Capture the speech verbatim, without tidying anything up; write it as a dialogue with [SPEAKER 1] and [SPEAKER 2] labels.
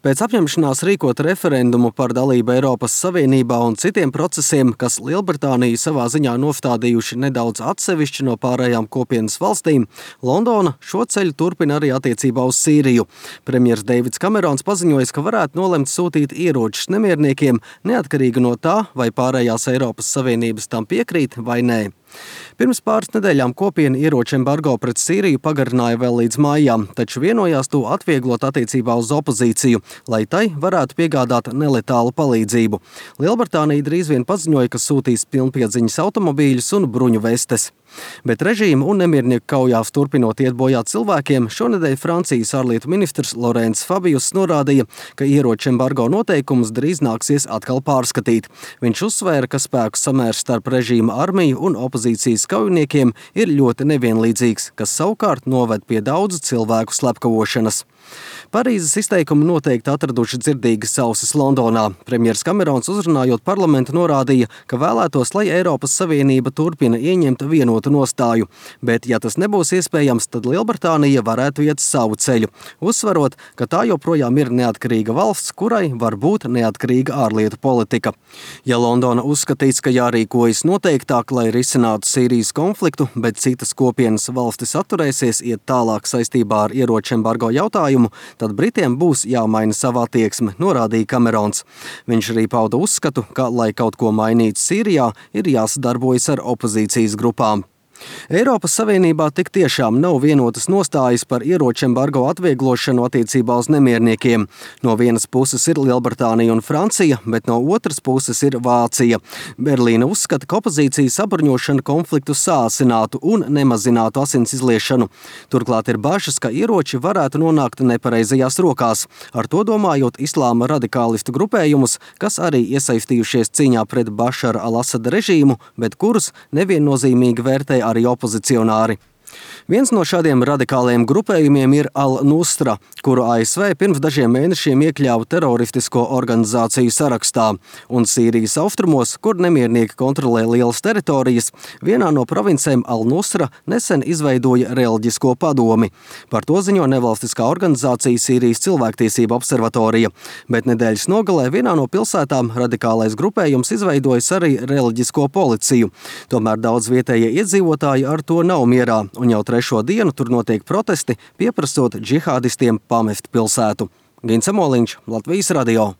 [SPEAKER 1] Pēc apņemšanās rīkot referendumu par dalību Eiropas Savienībā un citiem procesiem, kas Lielbritāniju savā ziņā nostādījuši nedaudz atsevišķi no pārējām kopienas valstīm, Londona šo ceļu turpina arī attiecībā uz Sīriju. Premjers Deivids Kamerons paziņojis, ka varētu nolemt sūtīt ieročus nemierniekiem, neatkarīgi no tā, vai pārējās Eiropas Savienības tam piekrīt vai nē. Pirms pāris nedēļām kopiena ieroču embargo pret Sīriju pagarināja vēl līdz maijām, taču vienojās to atvieglot attiecībā uz opozīciju, lai tai varētu piegādāt neletālu palīdzību. Lielbritānija drīz vien paziņoja, ka sūtīs pilnpiedziņas automobīļus un bruņu vestes. Bet režīma un nemiernieku kaujās turpinot iet bojā cilvēkiem, šonedēļ Francijas ārlietu ministrs Laurents Fabius norādīja, ka ieroču embargo noteikumus drīz nāksies atkal pārskatīt. Viņš uzsvēra, ka spēku samērs starp režīma armiju un opozīcijas kaujiniekiem ir ļoti nevienlīdzīgs, kas savukārt noved pie daudzu cilvēku slepkavošanas. Parīzes izteikumi noteikti atraduši dzirdīgas ausis Londonā. Premjers Kamerons uzrunājot parlamentu norādīja, ka vēlētos, lai Eiropas Savienība turpina ieņemt vienotu nostāju, bet, ja tas nebūs iespējams, tad Lielbritānija varētu iet savu ceļu, uzsverot, ka tā joprojām ir neatkarīga valsts, kurai var būt neatkarīga ārlietu politika. Ja Londona uzskatīs, ka jārīkojas noteiktāk, lai risinātu Sīrijas konfliktu, bet citas kopienas valstis atturēsies iet tālāk saistībā ar ieroču embargo jautājumu, tad Britiem būs jāmaina sava attieksme, norādīja Kamerons. Viņš arī pauda uzskatu, ka, lai kaut ko mainītu Sīrijā, ir jāsadarbojas ar opozīcijas grupām. Eiropas Savienībā tik tiešām nav vienotas nostājas par ieroču embargo atvieglošanu attiecībā uz nemierniekiem. No vienas puses ir Lielbritānija un Francija, bet no otras puses ir Vācija. Berlīna uzskata, ka opozīcijas sabruņošana konfliktu sāsinātu un nemazinātu asins izliešanu. Turklāt ir bažas, ka ieroči varētu nonākt nepareizajās rokās, ar to domājot islāma radikālistu grupējumus, kas arī iesaistījušies cīņā pret Bašara al-Asada režīmu, bet kurus neviennozīmīgi vērtē arī opozicionāri. Viens no šādiem radikāliem grupējumiem ir Al-Nusra, kuru A S V pirms dažiem mēnešiem iekļāva teroristisko organizāciju sarakstā, un Sīrijas austrumos, kur nemiernieki kontrolē lielas teritorijas, vienā no provincēm Al-Nusra nesen izveidoja reliģisko padomi. Par to ziņo nevalstiskā organizācija Sīrijas cilvēktiesība observatorija, bet nedēļas nogalē vienā no pilsētām radikālais grupējums izveidojas arī reliģisko policiju. Tomēr daudz vietējie iedzīvotāji ar to nav mierā, un jau trešo dienu tur notiek protesti, pieprasot džihādistiem pamest pilsētu. Gins Amoliņš, Latvijas radio.